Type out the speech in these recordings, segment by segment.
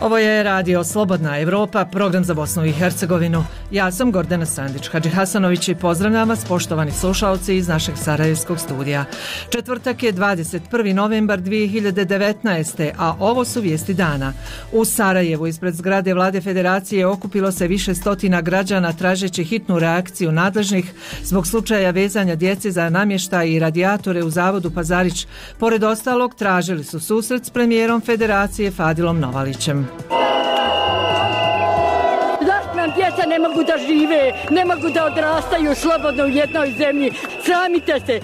Ovo je radio Slobodna Evropa, program za Bosnu i Hercegovinu. Ja sam Gordana Sandić Hadžihasanović i pozdravljam vas, poštovani slušalci iz našeg sarajevskog studija. Četvrtak je 21. novembar 2019. a ovo su vijesti dana. U Sarajevu ispred zgrade Vlade Federacije okupilo se više stotina građana tražeći hitnu reakciju nadležnih zbog slučaja vezanja djece za namještaj i radijatore u zavodu Pazarić. Pored ostalog, tražili su susret s premijerom Federacije Fadilom Novalićem. Zašto nam djeca ne mogu da žive, ne mogu da odrastaju slobodno u jednoj zemlji? Sramite se!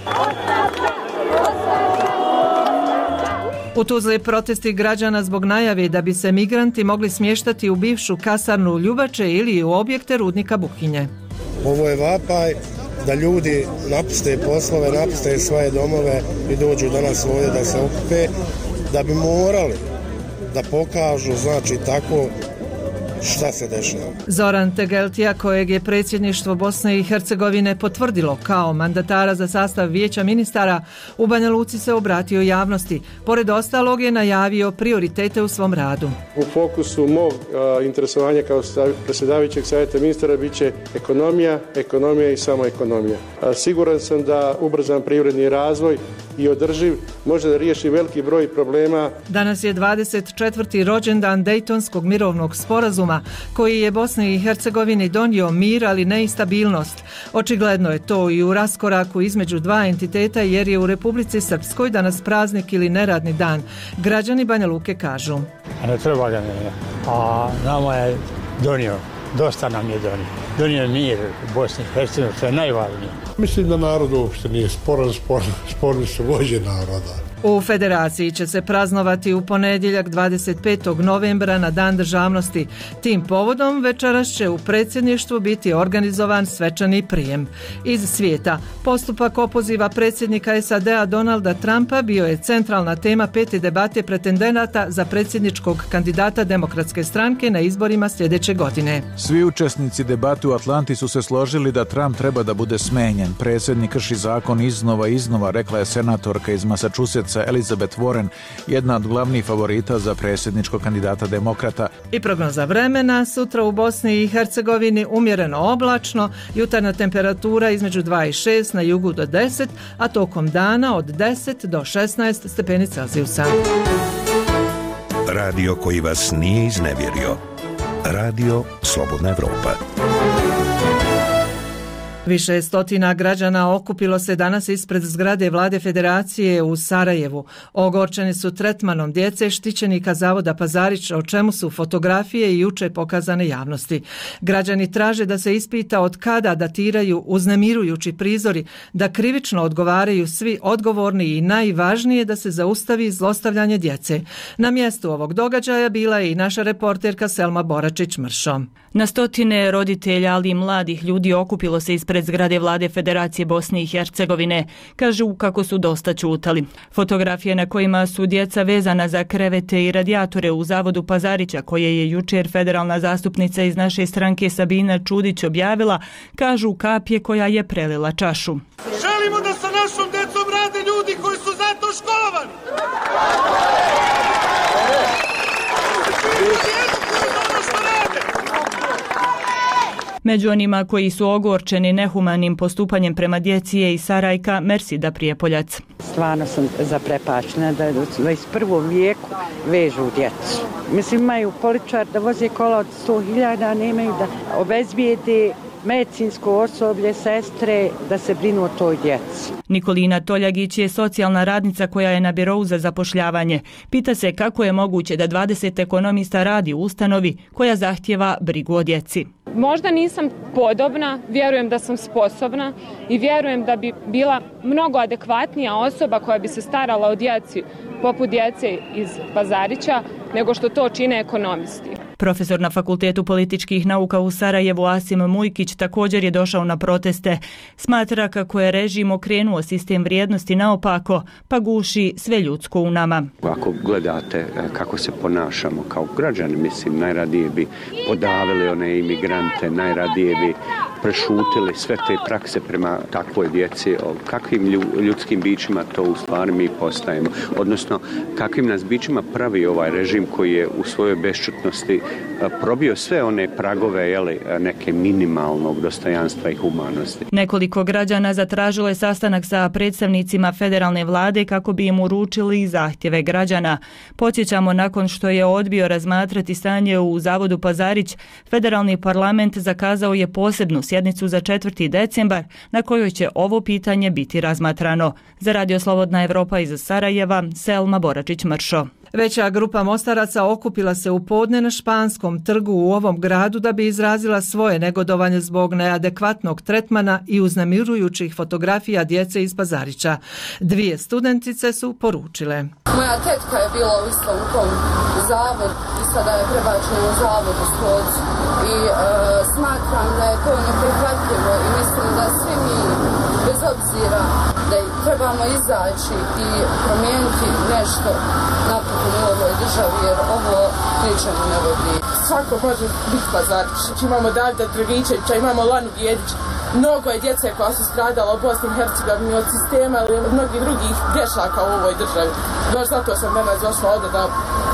U Tuzli protesti građana zbog najave da bi se migranti mogli smještati u bivšu kasarnu Ljubače ili u objekte rudnika Buhinje. Ovo je vapaj da ljudi napuste poslove, napuste svoje domove i dođu danas ovdje da se okupe, da bi morali da pokažu, znači, tako šta se dešava. Zoran Tegeltija, kojeg je predsjedništvo Bosne i Hercegovine potvrdilo kao mandatara za sastav vijeća ministara, u Banja Luci se obratio javnosti. Pored ostalog je najavio prioritete u svom radu. U fokusu mog interesovanja kao predsjedavajućeg savjeta ministara bit će ekonomija i samo ekonomija. Siguran sam da ubrzan privredni razvoj i održiv može da riješi veliki broj problema. Danas je 24. rođendan Dejtonskog mirovnog sporazuma koji je Bosni i Hercegovini donio mir, ali ne i stabilnost. Očigledno je to i u raskoraku između dva entiteta jer je u Republici Srpskoj danas praznik ili neradni dan. Građani Banja Luke kažu. Ne treba ga ne, a nama je donio, dosta nam je donio. Donio je mir u Bosni i Hercegovini, što je najvažnije. Mislim da narod uopšte nije sporni su vođe naroda. U Federaciji će se praznovati u ponedjeljak 25. novembra na Dan državnosti. Tim povodom večeras će u predsjedništvu biti organizovan svečani prijem. Iz svijeta, postupak opoziva predsjednika SAD-a Donalda Trumpa bio je centralna tema pete debate pretendenata za predsjedničkog kandidata Demokratske stranke na izborima sljedeće godine. Svi učesnici debate u Atlanti su se složili da Trump treba da bude smenjen. Predsjednik krši zakon iznova, rekla je senatorka iz Massachusettsa Elizabeth Warren, jedna od glavnih favorita za predsjedničkog kandidata demokrata. I prognoza vremena, sutra u Bosni i Hercegovini umjereno oblačno, jutarnja temperatura između 2 i 6, na jugu do 10, a tokom dana od 10 do 16 stepeni Celzijusa. Radio koji vas nije iznevjerio. Radio Slobodna Evropa. Više stotina građana okupilo se danas ispred zgrade Vlade Federacije u Sarajevu. Ogorčeni su tretmanom djece štićenika zavoda Pazarić, o čemu su fotografije i juče pokazane javnosti. Građani traže da se ispita od kada datiraju uznemirujući prizori, da krivično odgovaraju svi odgovorni i najvažnije da se zaustavi zlostavljanje djece. Na mjestu ovog događaja bila je i naša reporterka Selma Boračić-Mršo. Na stotine roditelja, ali i mladih ljudi okupilo se ispred zgrade Vlade Federacije Bosne i Hercegovine. Kažu kako su dosta ćutali. Fotografije na kojima su djeca vezana za krevete i radijatore u zavodu Pazarića, koje je jučer federalna zastupnica iz naše stranke Sabina Čudić objavila, kažu kapje koja je prelila čašu. Želimo da sa našom djecom rade ljudi koji su za to školovani. Među onima koji su ogorčeni nehumanim postupanjem prema djeci je i Sarajka Mersida Prijepoljac. Stvarno sam zaprepačena da u 21. vijeku vežu djecu. Mislim, imaju poličar da voze kola od 100.000, nemaju da obezbijede medicinsko osoblje, sestre, da se brinu o toj djeci. Nikolina Toljagić je socijalna radnica koja je na birou za zapošljavanje. Pita se kako je moguće da 20 ekonomista radi u ustanovi koja zahtjeva brigu o djeci. Možda nisam podobna, vjerujem da sam sposobna i vjerujem da bi bila mnogo adekvatnija osoba koja bi se starala o djeci poput djece iz Pazarića nego što to čine ekonomisti. Profesor na Fakultetu političkih nauka u Sarajevu Asim Mujkić također je došao na proteste. Smatra kako je režim okrenuo sistem vrijednosti naopako, pa guši sve ljudsko u nama. Ako gledate kako se ponašamo kao građani, mislim, najradije bi podavili one imigrante, najradije bi prešutili sve te prakse prema takvoj djeci, o kakvim ljudskim bićima to u stvari mi postajemo, odnosno kakvim nas bićima pravi ovaj režim koji je u svojoj bešćutnosti probio sve one pragove neke minimalnog dostojanstva i humanosti. Nekoliko građana zatražilo je sastanak sa predstavnicima federalne vlade kako bi im uručili zahtjeve građana. Podsjećamo, nakon što je odbio razmatrati stanje u Zavodu Pazarić, federalni parlament zakazao je posebnu sjednicu za 4. decembar na kojoj će ovo pitanje biti razmatrano. Za Radio Slobodna Evropa iz Sarajeva, Selma Boračić-Mršo. Veća grupa mostaraca okupila se u podne na Španskom trgu u ovom gradu da bi izrazila svoje negodovanje zbog neadekvatnog tretmana i uznemirujućih fotografija djece iz Pazarića. 2 studentice su poručile. Moja tetka je bila isto u tom zavodu i sada je prebačena u zavod u Stocu. I smatram da je to neprihvatljivo i mislim da svi mi, bez obzira da trebamo izaći i promijeniti nešto napokon u ovoj državi, jer ovo ničemu ne vodi. Svako može biti Pazarić. Imamo Davida Dragičevića, imamo Lanu Bijedić. Mnogo je djece koja su stradala u Bosni i Hercegovini od sistema ili od mnogih drugih grešaka u ovoj državi. Baš zato sam danas došla ovdje da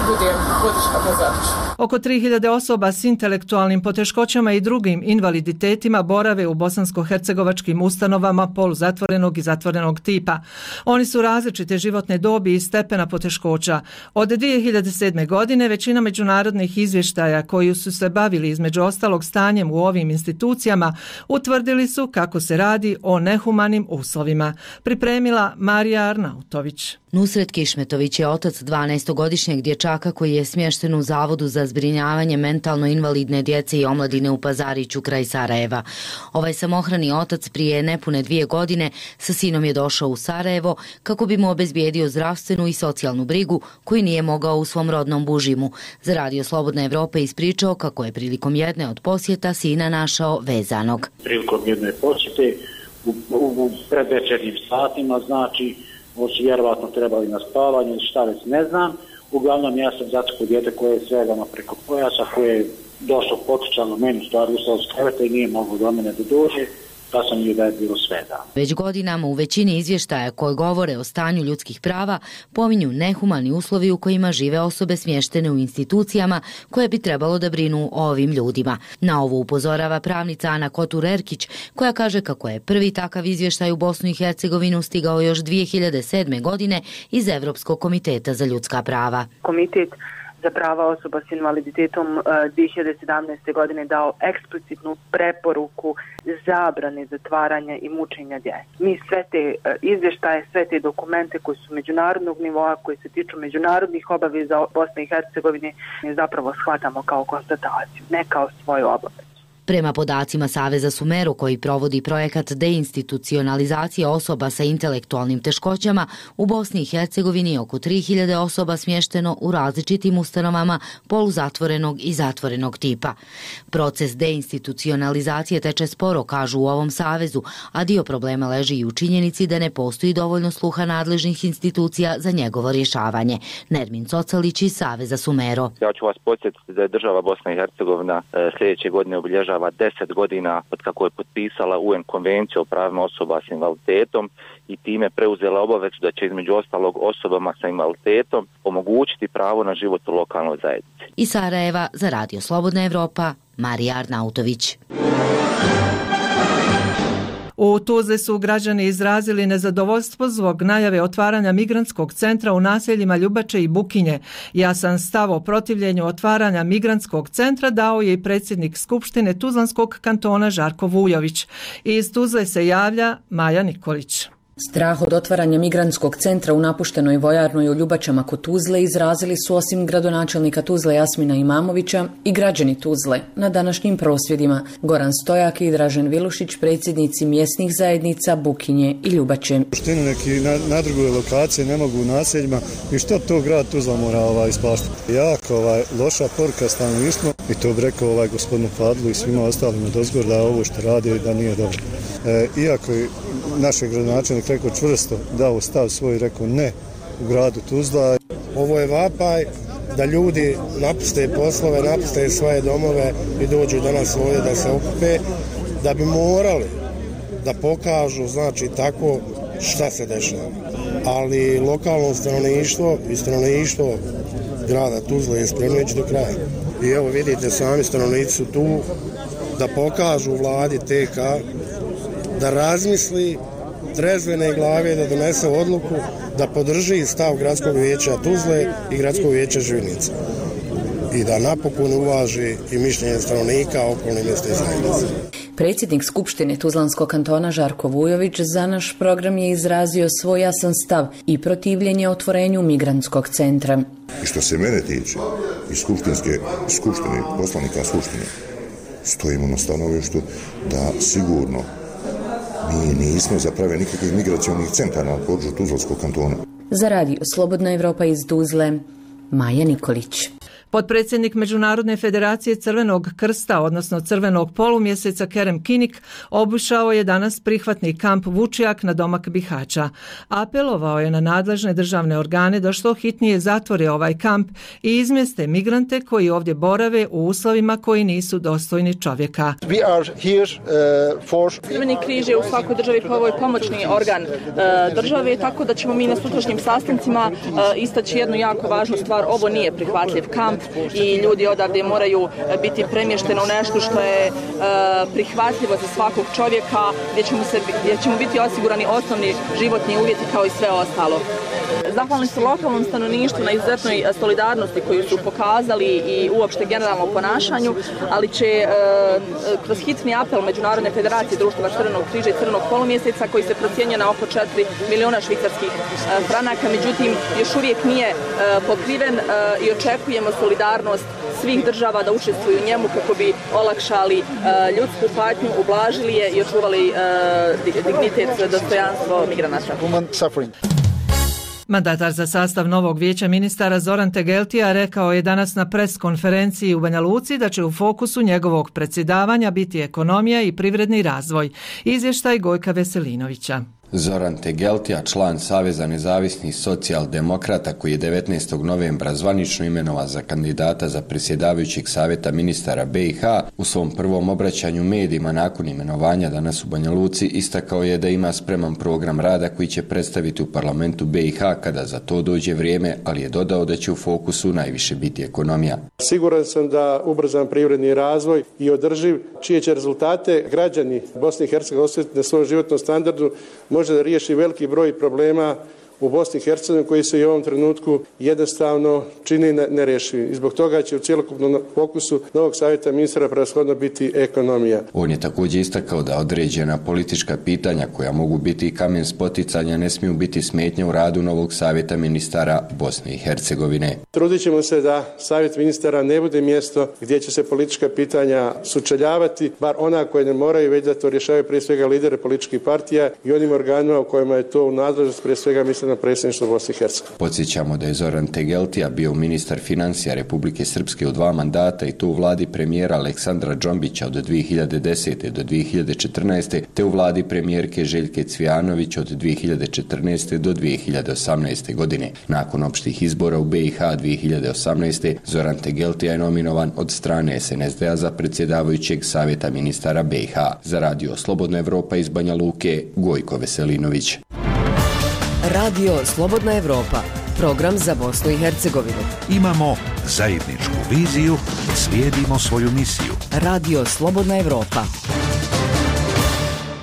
budem podrška Pazariću. Oko 3000 osoba s intelektualnim poteškoćama i drugim invaliditetima borave u bosansko-hercegovačkim ustanovama poluzatvorenog i zatvorenog tipa. Oni su različite životne dobi i stepena poteškoća. Od 2007. godine većina međunarodnih izvještaja koji su se bavili između ostalog stanjem u ovim institucijama utvrdili su kako se radi o nehumanim uslovima. Pripremila Marija Arnautović. Nusret Kišmetović je otac 12-godišnjeg dječaka koji je smješten u Zavodu za zbrinjavanje mentalno invalidne djece i omladine u Pazariću kraj Sarajeva. Ovaj samohrani otac prije nepune 2 godine sa sinom je došao u Sarajevo kako bi mu obezbijedio zdravstvenu i socijalnu brigu koju nije mogao u svom rodnom Bužimu. Za Radio Slobodna Evropa ispričao kako je prilikom jedne od posjeta sina našao vezanog. Prilikom jedne posjete u predvečernjim satima, znači ovo su vjerovatno trebali na spavanje, šta već ne znam. Uglavnom ja sam zatekao dijete koje je svezano preko pojasa, koje je došlo potičano meni stvari ustao s kreveta i nije moglo do mene da dođe, pa sam joj da je bilo svezano. Već godinama u većini izvještaja koje govore o stanju ljudskih prava pominju nehumani uslovi u kojima žive osobe smještene u institucijama koje bi trebalo da brinu o ovim ljudima. Na ovo upozorava pravnica Ana Kotur-Erkić koja kaže kako je prvi takav izvještaj u Bosnu i Hercegovinu stigao još 2007. godine iz Evropskog komiteta za ljudska prava. Komitet za prava osoba s invaliditetom 2017. godine dao eksplicitnu preporuku zabrane zatvaranja i mučenja djece. Mi sve te izvještaje, sve te dokumente koji su međunarodnog nivoa, koji se tiču međunarodnih obaveza Bosne i Hercegovine, zapravo shvatamo kao konstataciju, ne kao svoju obavezu. Prema podacima Saveza Sumero koji provodi projekat deinstitucionalizacije osoba sa intelektualnim teškoćama, u Bosni i Hercegovini je oko 3000 osoba smješteno u različitim ustanovama poluzatvorenog i zatvorenog tipa. Proces deinstitucionalizacije teče sporo, kažu u ovom savezu, a dio problema leži i u činjenici da ne postoji dovoljno sluha nadležnih institucija za njegovo rješavanje. Nermin Cocalić iz Saveza Sumero. Ja ću vas podsjetiti da je država Bosna i Hercegovina sljedeće godine obilježava 10 godina od kako je potpisala UN konvenciju o pravima osoba s invaliditetom i time preuzela obavezu da će između ostalog osobama sa invaliditetom omogućiti pravo na život u lokalnoj zajednici. Iz Sarajeva za Radio Slobodna Evropa, Marija Arnautović. U Tuzli su građani izrazili nezadovoljstvo zbog najave otvaranja migrantskog centra u naseljima Ljubače i Bukinje. Jasan stav o protivljenju otvaranja migrantskog centra dao je i predsjednik Skupštine Tuzlanskog kantona Žarko Vujović. Iz Tuzle se javlja Maja Nikolić. Strah od otvaranja migrantskog centra u napuštenoj vojarnoj u Ljubačama kod Tuzle izrazili su osim gradonačelnika Tuzle Jasmina Imamovića i građani Tuzle na današnjim prosvjedima. Goran Stojak i Dražen Vilušić, predsjednici mjesnih zajednica Bukinje i Ljubače. Štinu neki na drugoj lokaciji ne mogu u naseljima i što to grad Tuzla mora ispaštati. Jako loša poruka stanovništvu i to bi rekao gospodinu Fadlu i svima ostalima dozgor da ovo što radi da nije dobro. Iako je naš gradonačelnik rekao čvrsto, dao stav svoj i rekao ne u gradu Tuzla. Ovo je vapaj da ljudi napuste poslove, napuste svoje domove i dođu danas ovdje da se okupe. da bi morali da pokažu, znači, tako šta se dešava. Ali lokalno stanovništvo i stanovništvo grada Tuzle je spremno ići do kraja. I evo vidite, sami stanovnici su tu da pokažu vladi TK da razmisli trezvene glave, da donese odluku da podrži stav gradskog vijeća Tuzle i gradskog vijeća Živinica i da napokon uvaži i mišljenje stanovnika okolnih mjesta i zajednice. Predsjednik Skupštine Tuzlanskog kantona Žarko Vujović za naš program je izrazio svoj jasan stav i protivljenje otvorenju migrantskog centra. I što se mene tiče, iz skupštine, poslanika Skupštine, stojimo na stanovištu da sigurno mi nismo za prave nikakvih migracionih centara na području Tuzlanskog kantona. Za radio Slobodna Evropa iz Tuzle, Maja Nikolić. Potpredsjednik Međunarodne federacije Crvenog krsta, odnosno Crvenog polumjeseca Kerem Kinik, obišao je danas prihvatni kamp Vučjak na domak Bihaća. Apelovao je na nadležne državne organe da što hitnije zatvore ovaj kamp i izmjeste migrante koji ovdje borave u uslovima koji nisu dostojni čovjeka. Crveni križ je u svakoj državi pomoćni organ države, tako da ćemo mi na sutrašnjim sastancima istaći jednu jako važnu stvar. Ovo nije prihvatljiv kamp i ljudi odavde moraju biti premješteni u nešto što je prihvatljivo za svakog čovjeka, gdje ćemo biti osigurani osnovni životni uvjeti kao i sve ostalo. Zahvalni su lokalnom stanovništvu na izuzetnoj solidarnosti koju su pokazali i uopšte generalnom ponašanju, ali će kroz hitni apel Međunarodne federacije društava Crvenog križa i Crvenog polumjeseca, koji se procjenjuje na oko 4 miliona švicarskih franaka, međutim još uvijek nije pokriven i očekujemo solidarnost svih država da učestvuju u njemu kako bi olakšali ljudsku patnju, ublažili je i očuvali dignitet, dostojanstvo migranata. Mandatar za sastav novog vijeća ministara Zoran Tegeltija rekao je danas na pres konferenciji u Banja Luci da će u fokusu njegovog predsjedavanja biti ekonomija i privredni razvoj. Izvještaj Gojka Veselinovića. Zoran Tegeltija, član Saveza nezavisnih socijaldemokrata, koji je 19. novembra zvanično imenovan za kandidata za predsjedavajućeg savjeta ministara BiH, u svom prvom obraćanju medijima nakon imenovanja danas u Banja Luci istakao je da ima spreman program rada koji će predstaviti u parlamentu BiH kada za to dođe vrijeme, ali je dodao da će u fokusu najviše biti ekonomija. Siguran sam da ubrzan privredni razvoj i održiv, čije će rezultate građani Bosne i Hercegovine osjetiti na svom životnom standardu, može da riješi veliki broj problema u Bosni i Hercegovini koji se i u ovom trenutku jednostavno čini nerješivi. I zbog toga će u cjelokupnom fokusu novog savjeta ministara prevashodno biti ekonomija. On je također istakao da određena politička pitanja koja mogu biti i kamen spoticanja ne smiju biti smetnja u radu novog savjeta ministara Bosne i Hercegovine. Trudit ćemo se da savjet ministara ne bude mjesto gdje će se politička pitanja sučeljavati, bar ona koje ne moraju, već da to rješavaju prije svega lidere političkih partija i onim organima u kojima je to u nadležnost, prije svega mislim na predsjedništvo Bosne i Hercegovine. Podsjećamo da je Zoran Tegeltija bio ministar financija Republike Srpske u 2 mandata i to u vladi premijera Aleksandra Džombića od 2010. do 2014. te u vladi premijerke Željke Cvijanović od 2014. do 2018. godine. Nakon opštih izbora u BiH 2018. Zoran Tegeltija je nominovan od strane SNSD-a za predsjedavajućeg savjeta ministara BiH. Za radio Slobodna Evropa iz Banja Luke, Gojko Veselinović. Radio Slobodna Evropa, program za Bosnu i Hercegovinu. Imamo zajedničku viziju, slijedimo svoju misiju. Radio Slobodna Evropa.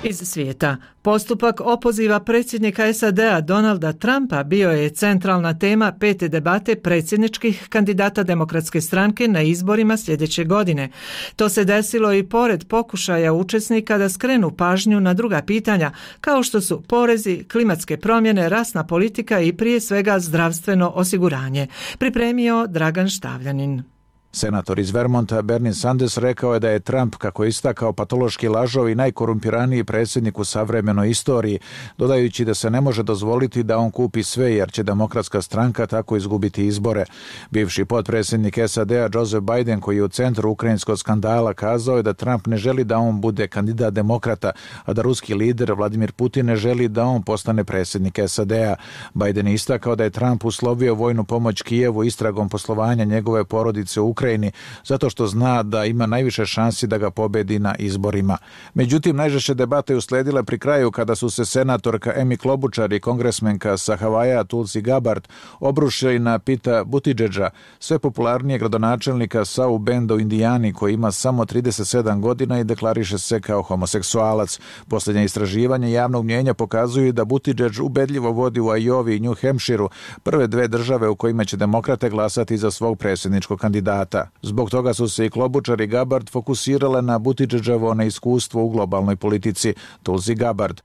Iz svijeta. Postupak opoziva predsjednika SAD-a Donalda Trumpa bio je centralna tema 5. debate predsjedničkih kandidata Demokratske stranke na izborima sljedeće godine. To se desilo i pored pokušaja učesnika da skrenu pažnju na druga pitanja, kao što su porezi, klimatske promjene, rasna politika i prije svega zdravstveno osiguranje. Pripremio Dragan Štavljanin. Senator iz Vermonta Bernie Sanders rekao je da je Trump, kako je istakao, patološki lažov i najkorumpiraniji predsjednik u savremenoj istoriji, dodajući da se ne može dozvoliti da on kupi sve jer će Demokratska stranka tako izgubiti izbore. Bivši potpredsjednik SAD-a Joseph Biden, koji je u centru ukrajinskog skandala, kazao je da Trump ne želi da on bude kandidat demokrata, a da ruski lider Vladimir Putin ne želi da on postane predsjednik SAD-a. Biden je istakao da je Trump uslovio vojnu pomoć Kijevu istragom poslovanja njegove porodice u Ukrajini, zato što zna da ima najviše šansi da ga pobedi na izborima. Međutim, najžešće debate usledile pri kraju kada su se senatorka Amy Klobuchar i kongresmenka sa Havaja Tulsi Gabbard obrušili na Pita Buttigiega, sve popularnije gradonačelnika South Benda u Indijani, koji ima samo 37 godina i deklariše se kao homoseksualac. Posljednja istraživanja javnog mnjenja pokazuju da Buttigieg ubedljivo vodi u Iowi i New Hampshireu, prve dve države u kojima će demokrate glasati za svog predsjedničkog kandidata. Zbog toga su se i Klobuchar i Gabbard fokusirale na Buttigiegovo neiskustvo u globalnoj politici. Tulsi Gabbard: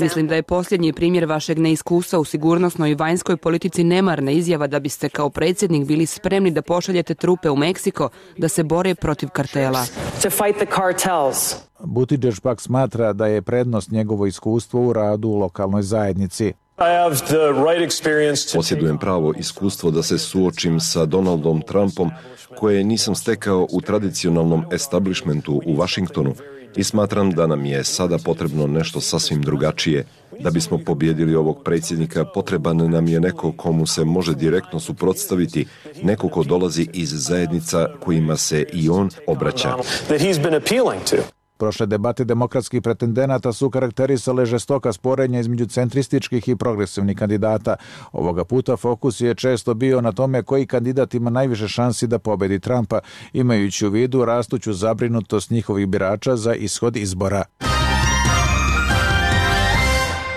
Mislim da je posljednji primjer vašeg neiskustva u sigurnosnoj i vanjskoj politici nemarna izjava da biste kao predsjednik bili spremni da pošaljete trupe u Meksiko da se bore protiv kartela. Buttigieg pak smatra da je prednost njegovo iskustvo u radu u lokalnoj zajednici. Posjedujem pravo iskustvo da se suočim sa Donaldom Trumpom, koje nisam stekao u tradicionalnom establishmentu u Washingtonu, i smatram da nam je sada potrebno nešto sasvim drugačije. Da bismo pobjedili ovog predsjednika, potreban nam je neko komu se može direktno suprotstaviti, neko ko dolazi iz zajednica kojima se i on obraća. Prošle debate demokratskih pretendenata su karakterisale žestoka sporenja između centrističkih i progresivnih kandidata. Ovoga puta fokus je često bio na tome koji kandidat ima najviše šansi da pobedi Trumpa, imajući u vidu rastuću zabrinutost njihovih birača za ishod izbora.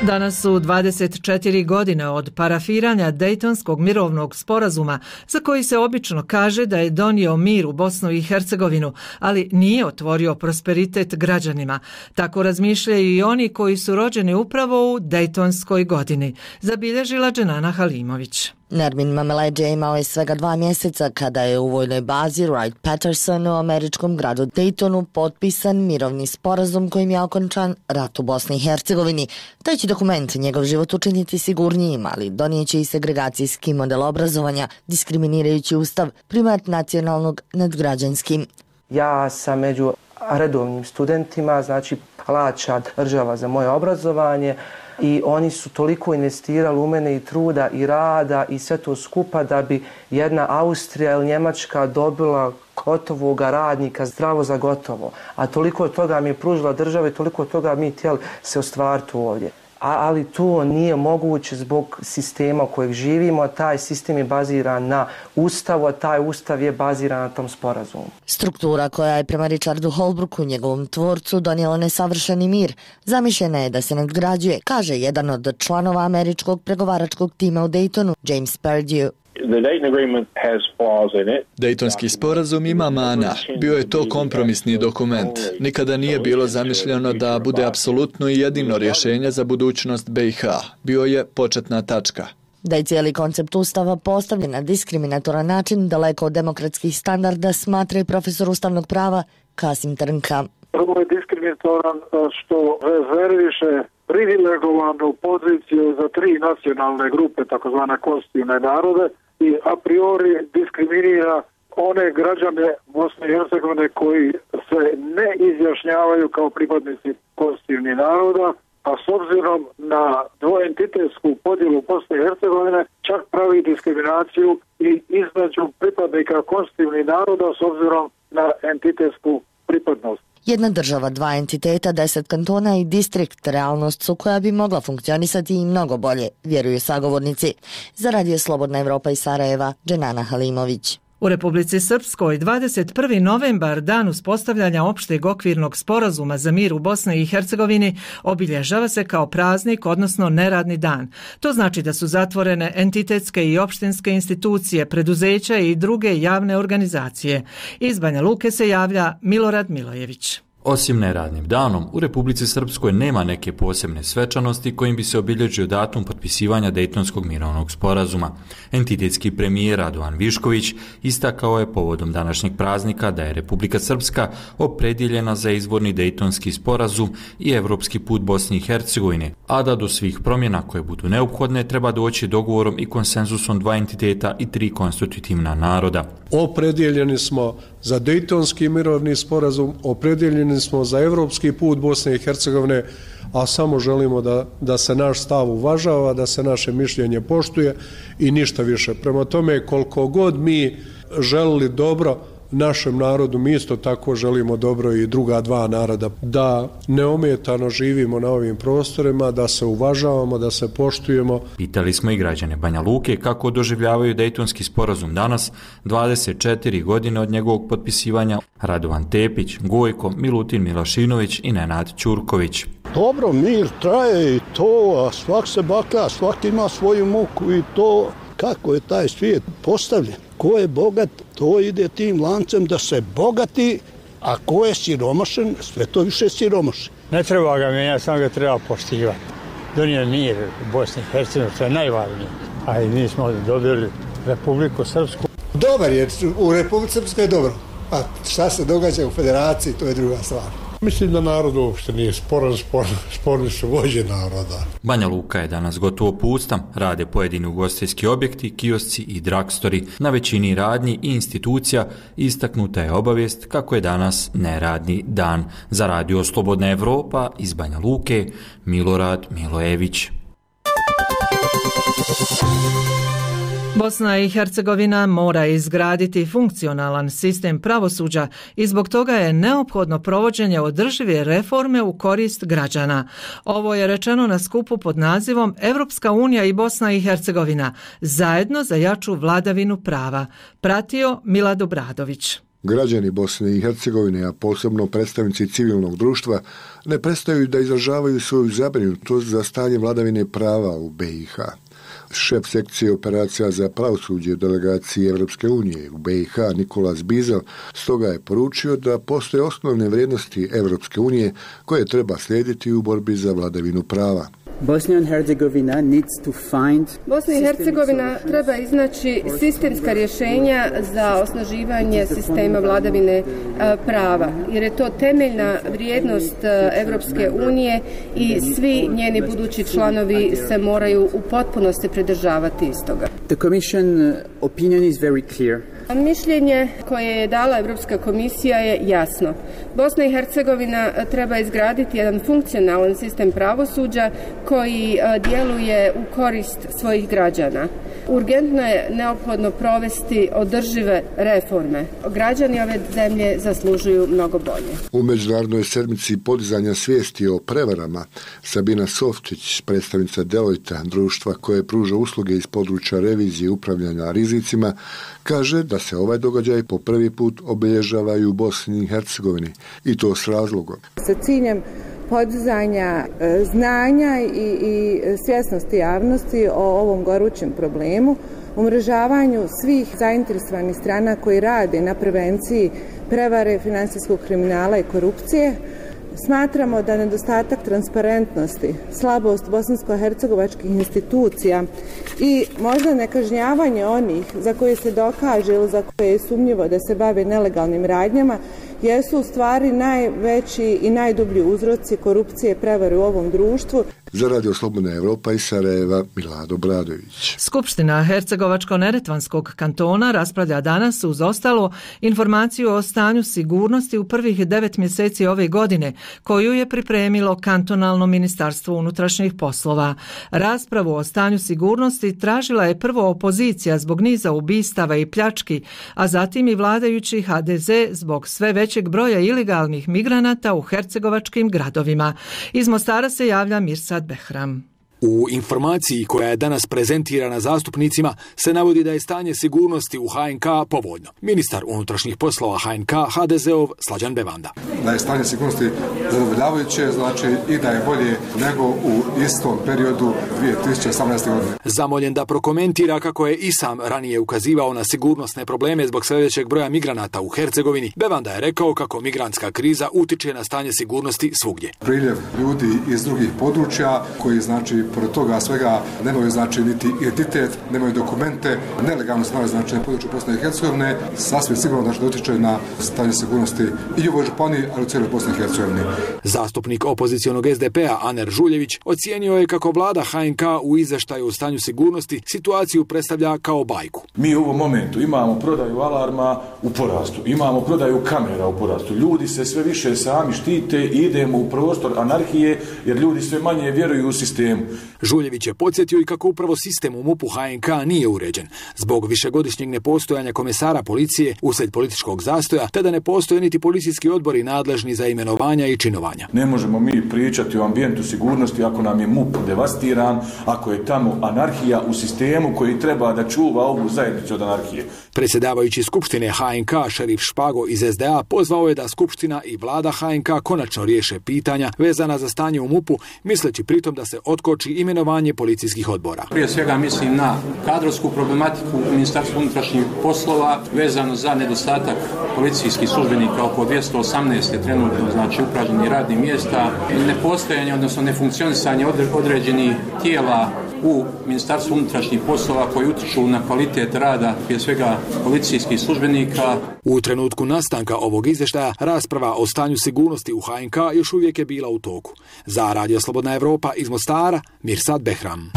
Danas su 24 godine od parafiranja Dejtonskog mirovnog sporazuma, za koji se obično kaže da je donio mir u Bosnu i Hercegovinu, ali nije otvorio prosperitet građanima. Tako razmišljaju i oni koji su rođeni upravo u Dejtonskoj godini, zabilježila Dženana Halimović. Nermin Mameleđe imao je svega 2 mjeseca kada je u vojnoj bazi Wright-Patterson u američkom gradu Daytonu potpisan mirovni sporazum kojim je okončan rat u Bosni i Hercegovini. Taj će dokument njegov život učiniti sigurnijim, ali donijeće i segregacijski model obrazovanja, diskriminirajući ustav, primat nacionalnog nad građanskim. Ja sam među redovnim studentima, znači plaća država za moje obrazovanje, i oni su toliko investirali u mene i truda i rada i sve to skupa da bi jedna Austrija ili Njemačka dobila gotovog radnika zdravo za gotovo. A toliko toga mi je pružila država i toliko toga mi htjeli se ostvariti ovdje. Ali to nije moguće zbog sistema u kojeg živimo. Taj sistem je baziran na ustavu, a taj ustav je baziran na tom sporazumu. Struktura koja je prema Richardu Holbrooku, njegovom tvorcu, donijela nesavršeni mir, zamišljena je da se nadgrađuje, kaže jedan od članova američkog pregovaračkog tima u Daytonu, James Perdue. Dejtonski sporazum ima mana. Bio je to kompromisni dokument. Nikada nije bilo zamišljeno da bude apsolutno i jedino rješenje za budućnost BiH. Bio je početna tačka. Da je cijeli koncept ustava postavljen na diskriminatoran način, daleko od demokratskih standarda, smatra i profesor ustavnog prava Kasim Trnka. Prvo je diskriminatoran što rezerviše privilegovanu poziciju za 3 nacionalne grupe, takozvane konstitutivne narode, i a priori diskriminira one građane Bosne i Hercegovine koji se ne izjašnjavaju kao pripadnici konstitutivnih naroda, a s obzirom na dvoentitetsku podjelu Bosne i Hercegovine čak pravi diskriminaciju i između pripadnika konstitutivnih naroda s obzirom na entitetsku pripadnost. Jedna država, 2 entiteta, 10 kantona i distrikt realnost su koja bi mogla funkcionisati i mnogo bolje, vjeruju sagovornici. Za Radio Slobodna Evropa iz Sarajeva, Dženana Halimović. U Republici Srpskoj 21. novembar, dan uspostavljanja opšteg okvirnog sporazuma za mir u Bosni i Hercegovini, obilježava se kao praznik, odnosno neradni dan. To znači da su zatvorene entitetske i opštinske institucije, preduzeća i druge javne organizacije. Iz Banja Luke se javlja Milorad Milojević. Osim neradnim danom, u Republici Srpskoj nema neke posebne svečanosti kojim bi se obilježio datum potpisivanja Dejtonskog mirovnog sporazuma. Entitetski premijer Radovan Višković istakao je povodom današnjeg praznika da je Republika Srpska opredjeljena za izvorni Dejtonski sporazum i evropski put Bosne i Hercegovine, a da do svih promjena koje budu neophodne treba doći dogovorom i konsenzusom 2 entiteta i 3 konstitutivna naroda. Opredjeljeni smo za Dejtonski mirovni sporazum, opredjeljeni smo za evropski put Bosne i Hercegovine, a samo želimo da se naš stav uvažava, da se naše mišljenje poštuje i ništa više. Prema tome, koliko god mi želili dobro našem narodu, mi isto tako želimo dobro i druga dva naroda, da neometano živimo na ovim prostorima, da se uvažavamo, da se poštujemo. Pitali smo i građane Banja Luke kako doživljavaju Dejtonski sporazum danas, 24 godine od njegovog potpisivanja. Radovan Tepić, Gojko, Milutin Milošinović i Nenad Ćurković. Dobro, mir traje i to, a svak se baka, svak ima svoju muku i to kako je taj svijet postavljen. Ko je bogat, to ide tim lancem da se bogati, a ko je siromašen, sve to više siromaši. Ne treba ga mijenjati, samo ga treba poštivati. Donio mir u Bosni i Hercegovini, to je najvažnije. A i mi smo dobili Republiku Srpsku. Dobar je, u Republici Srpskoj je dobro. A šta se događa u federaciji, to je druga stvar. Mislim da narod uopšte nije sporni su vođe naroda. Banja Luka je danas gotovo pusta, rade pojedini ugostiteljski objekti, kiosci i dragstori. Na većini radnji i institucija istaknuta je obavijest kako je danas neradni dan. Za Radio Slobodna Evropa iz Banja Luke, Milorad Milojević. Bosna i Hercegovina mora izgraditi funkcionalan sistem pravosuđa i zbog toga je neophodno provođenje održive reforme u korist građana. Ovo je rečeno na skupu pod nazivom Evropska unija i Bosna i Hercegovina zajedno za jaču vladavinu prava. Pratio Milad Obradović. Građani Bosne i Hercegovine, a posebno predstavnici civilnog društva, ne prestaju da izražavaju svoju zabrinutost za stanje vladavine prava u BiH. Šef sekcije operacija za pravosuđe delegacije Evropske unije u BiH Nikolas Bizel stoga je poručio da postoje osnovne vrijednosti Evropske unije koje treba slijediti u borbi za vladavinu prava. Bosna i Hercegovina treba iznaći sistemska rješenja za osnaživanje sistema vladavine prava, jer je to temeljna vrijednost Evropske unije i svi njeni budući članovi se moraju u potpunosti pridržavati istoga. The Commission opinion is very clear. Mišljenje koje je dala Europska komisija je jasno. Bosna i Hercegovina treba izgraditi jedan funkcionalan sistem pravosuđa koji djeluje u korist svojih građana. Urgentno je neophodno provesti održive reforme. Građani ove zemlje zaslužuju mnogo bolje. U Međunarodnoj sedmici podizanja svijesti o prevarama, Sabina Sofčić, predstavnica Deloitte, društva koje pruža usluge iz područja revizije i upravljanja rizicima, kaže da se ovaj događaj po prvi put obilježava i u Bosni i Hercegovini, i to s razlogom. Sa ciljem podizanja znanja i svjesnosti javnosti o ovom gorućem problemu, umrežavanju svih zainteresovanih strana koji rade na prevenciji prevare, financijskog kriminala i korupcije, smatramo da nedostatak transparentnosti, slabost bosansko-hercegovačkih institucija i možda nekažnjavanje onih za koje se dokaže ili za koje je sumnjivo da se bave nelegalnim radnjama jesu u stvari najveći i najdublji uzroci korupcije i prevare u ovom društvu. Za Radio Slobodna Evropa iz Sarajeva, Milad Obradović. Skupština Hercegovačko-Neretvanskog kantona raspravlja danas uz ostalo informaciju o stanju sigurnosti u prvih 9 mjeseci ove godine, koju je pripremilo kantonalno ministarstvo unutrašnjih poslova. Raspravu o stanju sigurnosti tražila je prvo opozicija zbog niza ubistava i pljački, a zatim i vladajući HDZ zbog sve većeg broja ilegalnih migranata u hercegovačkim gradovima. Iz Mostara se javlja Mirsad Behram. U informaciji koja je danas prezentirana zastupnicima se navodi da je stanje sigurnosti u HNK povoljno. Ministar unutrašnjih poslova HNK HDZ-ov Slađan Bevanda. Da je stanje sigurnosti zadovoljavajuće, znači i da je bolje nego u istom periodu 2018. godine. Zamoljen da prokomentira kako je i sam ranije ukazivao na sigurnosne probleme zbog sve većeg broja migranata u Hercegovini, Bevanda je rekao kako migrantska kriza utiče na stanje sigurnosti svugdje. Priljev ljudi iz drugih područja koji znači pored toga svega nemaju znači niti identitet, nemaju dokumente, nelegalno stvari znači na području Bosne i Hercegovine, sasvim sigurno znači da utječe na stanje sigurnosti i u ovoj županiji, ali u cijeloj Bosni i Hercegovini. Zastupnik opozicionog SDP-a Aner Žuljević ocijenio je kako vlada HNK u izveštaju o stanju sigurnosti situaciju predstavlja kao bajku. Mi u ovom momentu imamo prodaju alarma u porastu, imamo prodaju kamera u porastu, ljudi se sve više sami štite i idemo u prostor anarhije jer ljudi sve manje vjeruju u sistemu. Žuljević je podsjetio i kako upravo sistem u MUP-u HNK nije uređen zbog višegodišnjeg nepostojanja komesara policije uslijed političkog zastoja, te da ne postoje niti policijski odbori nadležni za imenovanja i činovanja. Ne možemo mi pričati o ambijentu sigurnosti ako nam je MUP devastiran, ako je tamo anarhija u sistemu koji treba da čuva ovu zajednicu od anarhije. Predsjedavajući Skupštine HNK šerif Špago iz SDA pozvao je da Skupština i vlada HNK konačno riješe pitanja vezana za stanje u MUP-u, misleći pritom da se otkoči imenovanje policijskih odbora. Prije svega mislim na kadrovsku problematiku u Ministarstvu unutrašnjih poslova vezano za nedostatak policijskih službenika, oko 218 je trenutno znači upražnjenih radnih mjesta, nepostojanje odnosno nefunkcionisanje određenih tijela u Ministarstvu unutrašnjih poslova koji utječu na kvalitet rada prije svega policijskih službenika. U trenutku nastanka ovog izvještaja rasprava o stanju sigurnosti u HNK još uvijek je bila u toku. Za Radio Slobodna Evropa iz Mostara, Mirsad Behram.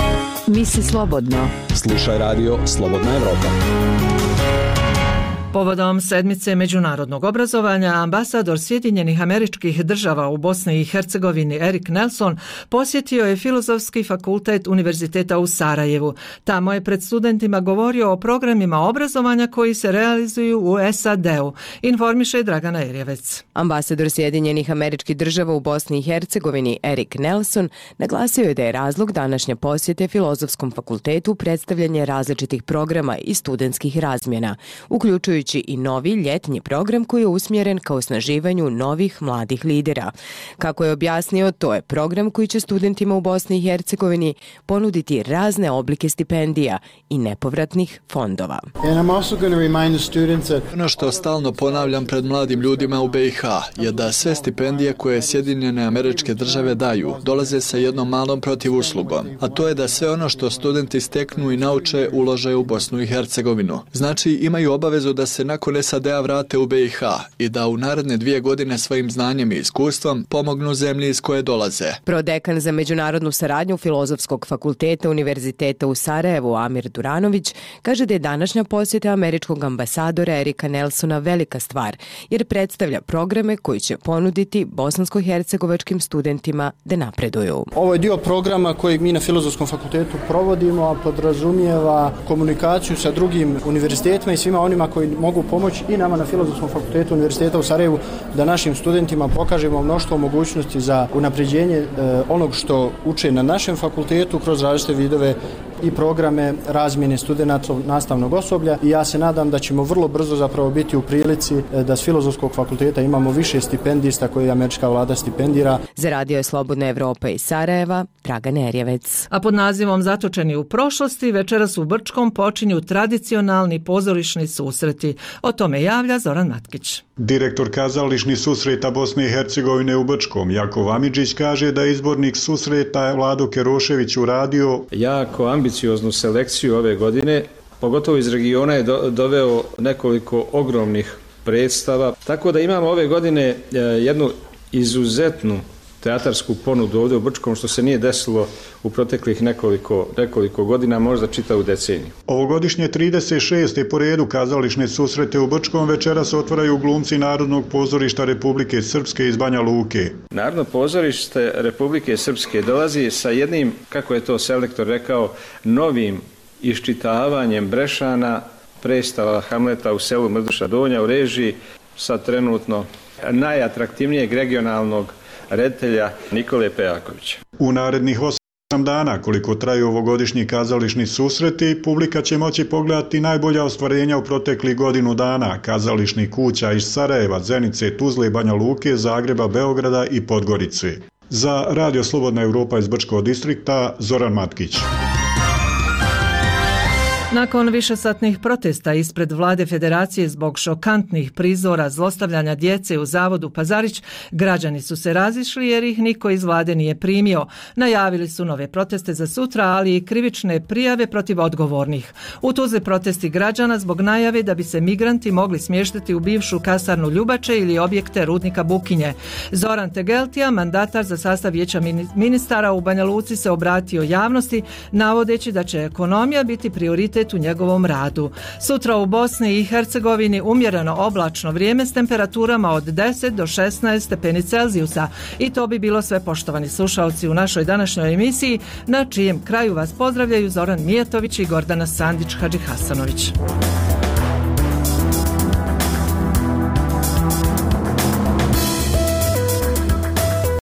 Misli slobodno. Slušaj Radio Slobodna Evropa. Povodom sedmice međunarodnog obrazovanja, ambasador Sjedinjenih Američkih Država u Bosni i Hercegovini Erik Nelson posjetio je Filozofski fakultet Univerziteta u Sarajevu. Tamo je pred studentima govorio o programima obrazovanja koji se realizuju u SAD-u, informiše Dragana Erjevec. Ambasador Sjedinjenih Američkih Država u Bosni i Hercegovini Erik Nelson naglasio je da je razlog današnje posjete Filozofskom fakultetu predstavljanje različitih programa i studentskih razmjena, uključujući i novi ljetnji program koji je usmjeren ka osnaživanju novih mladih lidera. Kako je objasnio, to je program koji će studentima u Bosni i Hercegovini ponuditi razne oblike stipendija i nepovratnih fondova. Ono što stalno ponavljam pred mladim ljudima u BiH je da sve stipendije koje Sjedinjene Američke Države daju dolaze sa jednom malom protivuslugom, a to je da sve ono što studenti steknu i nauče ulože u Bosnu i Hercegovinu. Znači imaju obavezu da se nakon SAD-a vrate u BiH i da u naredne 2 godine svojim znanjem i iskustvom pomognu zemlji iz koje dolaze. Prodekan za međunarodnu saradnju Filozofskog fakulteta Univerziteta u Sarajevu Amir Duranović kaže da je današnja posjeta američkog ambasadora Erika Nelsona velika stvar, jer predstavlja programe koji će ponuditi bosansko-hercegovačkim studentima da napreduju. Ovo je dio programa kojeg mi na Filozofskom fakultetu provodimo, a podrazumijeva komunikaciju sa drugim univerzitetima i svima onima koji mogu pomoći i nama na Filozofskom fakultetu Univerziteta u Sarajevu da našim studentima pokažemo mnoštvo mogućnosti za unapređenje onog što uče na našem fakultetu kroz različite vidove i programe razmjene studenata nastavnog osoblja i ja se nadam da ćemo vrlo brzo zapravo biti u prilici da s Filozofskog fakulteta imamo više stipendista koje američka vlada stipendira. Za Radio Slobodna Evropa iz Sarajeva, Dragan Erjevec. A pod nazivom Zatočeni u prošlosti večeras u Brčkom počinju tradicionalni pozorišni susreti. O tome javlja Zoran Matkić. Direktor kazališnih susreta Bosne i Hercegovine u Brčkom, Jakov Amidžić, kaže da izbornik susreta Vlado Kerošević uradio jako ambicioznu selekciju ove godine, pogotovo iz regiona je doveo nekoliko ogromnih predstava, tako da imamo ove godine jednu izuzetnu teatarsku ponudu ovdje u Brčkom, što se nije desilo u proteklih nekoliko godina, možda čitavu deceniju. Ovogodišnje 36. po redu kazališne susrete u Brčkom večeras otvaraju glumci Narodnog pozorišta Republike Srpske iz Banja Luke. Narodno pozorište Republike Srpske dolazi sa jednim, kako je to selektor rekao, novim iščitavanjem Brešana, predstava Hamleta u selu Mrduša Donja u režiji sa trenutno najatraktivnijeg regionalnog reditelja Nikole Pejakovića. U narednih 8 dana, koliko traju ovogodišnji kazališni susreti, publika će moći pogledati najbolja ostvarenja u proteklih godinu dana kazališnih kuća iz Sarajeva, Zenice, Tuzle, Banja Luke, Zagreba, Beograda i Podgorice. Za Radio Slobodna Evropa iz Brčkog distrikta, Zoran Matkić. Nakon višesatnih protesta ispred vlade Federacije zbog šokantnih prizora zlostavljanja djece u zavodu Pazarić, građani su se razišli jer ih niko iz vlade nije primio. Najavili su nove proteste za sutra, ali i krivične prijave protiv odgovornih. U Tuzli protesti građana zbog najave da bi se migranti mogli smještiti u bivšu kasarnu Ljubače ili objekte rudnika Bukinje. Zoran Tegeltija, mandatar za sastav vijeća ministara u Banja Luci, se obratio javnosti navodeći da će ekonomija biti prioritet u njegovom radu. Sutra u Bosni i Hercegovini umjereno oblačno vrijeme s temperaturama od 10 do 16 stepeni Celzijusa. I to bi bilo sve, poštovani slušalci, u našoj današnjoj emisiji, na čijem kraju vas pozdravljaju Zoran Mijetović i Gordana Sandić Hadžihasanović.